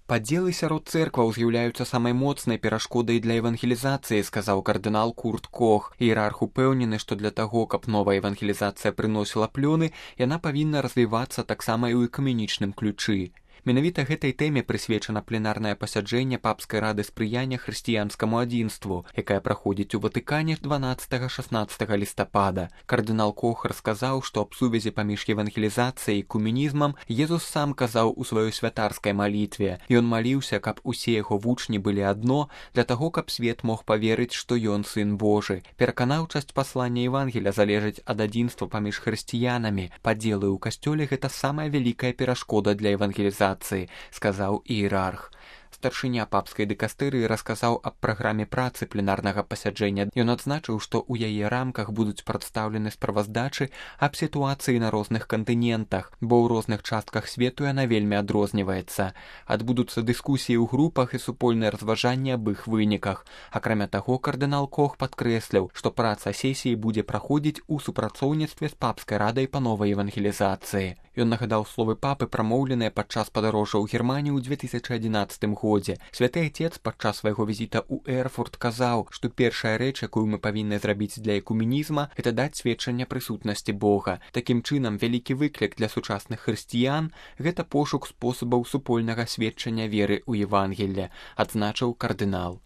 Падзелы сярод цэркваў з'яўляюцца самай моцнай перашкодай для евангелізацыі, сказаў кардынал Курт Кох. Іерарх упэўнены, што для таго, каб новая евангелізацыя прыносіла плёны, яна павінна развівацца таксама і ў экуменічным ключы. Менавіта гэтай тэме прысвечана пленарнае пасяджэнне папскай рады спрыяння хрысціянскаму адзінству, якая праходзіць у Ватыкане 12-16 лістапада. Кардынал Кох расказаў, што аб сувязі паміж евангелізацыяй і экуменізмам Езус сам казаў у сваёй святарскай малітве. Ён маліўся, каб усе яго вучні былі адно, для таго, каб свет мог паверыць, што ён сын Божы. Пераканаўчасць паслання Евангеля залежыць ад адзінства паміж хрысціянамі. Падзелы ў касцёле гэта самая вялікая перашкода для евангелізацыі, сказаў іерарх. Старшыня папскай дыкастэрыі расказаў аб праграме працы пленарнага пасяджэння. Ён адзначыў, што ў яе рамках будуць прадстаўлены справаздачы аб сітуацыі на розных кантынентах, бо ў розных частках свету яна вельмі адрозніваецца. Адбудуцца дыскусіі ў групах і супольныя разважанні аб іх выніках. Акрамя таго, кардынал Кох падкрэсліў, што праца сесіі будзе праходзіць у супрацоўніцтве з папскай радай па новай евангелізацыі. Ён нагадаў словы папы, прамоўленыя падчас падарожжа ў Германію ў 2011 годзе. Святы Отец падчас свайго візіта ў Эрфурт казаў, што першая рэч, якую мы павінны зрабіць для экуменізма, гэта даць сведчанне прысутнасці Бога. Такім чынам, вялікі выклік для сучасных хрысціян – гэта пошук спосабаў супольнага сведчання веры ў Евангелле, адзначыў кардынал.